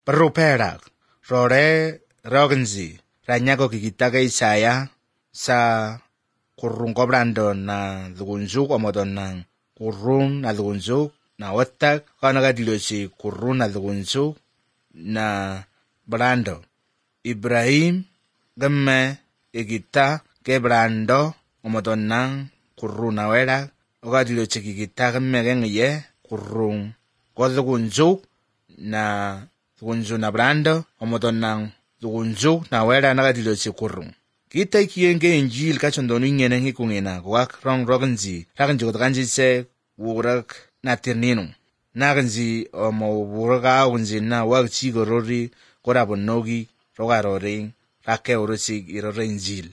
Peruperak, rore rogenzi, ranyago kikitaka Isaya, sa kurung kobrando na dugunjuk omodon ng kurung na dugunjuk na watak, kanaga dilo si kurung na dugunjuk na brando. Ibrahim, gemme, ikita, ke brando, omodon ng kurung na werak, oga dilo si kikita gemme gengye, kurung kodugunjuk na dugunjuk na brando, omodon ng dugunjuk na werak naga dilo si kurung. Kita kiyenge injil kachondonu nyene hikungena wak rong rogenzi ragenji kotakanji se wurak na tirninu nagenzi omo wuraka unzi na wak chigorori korabonogi rogaroring rake urusi irore injil.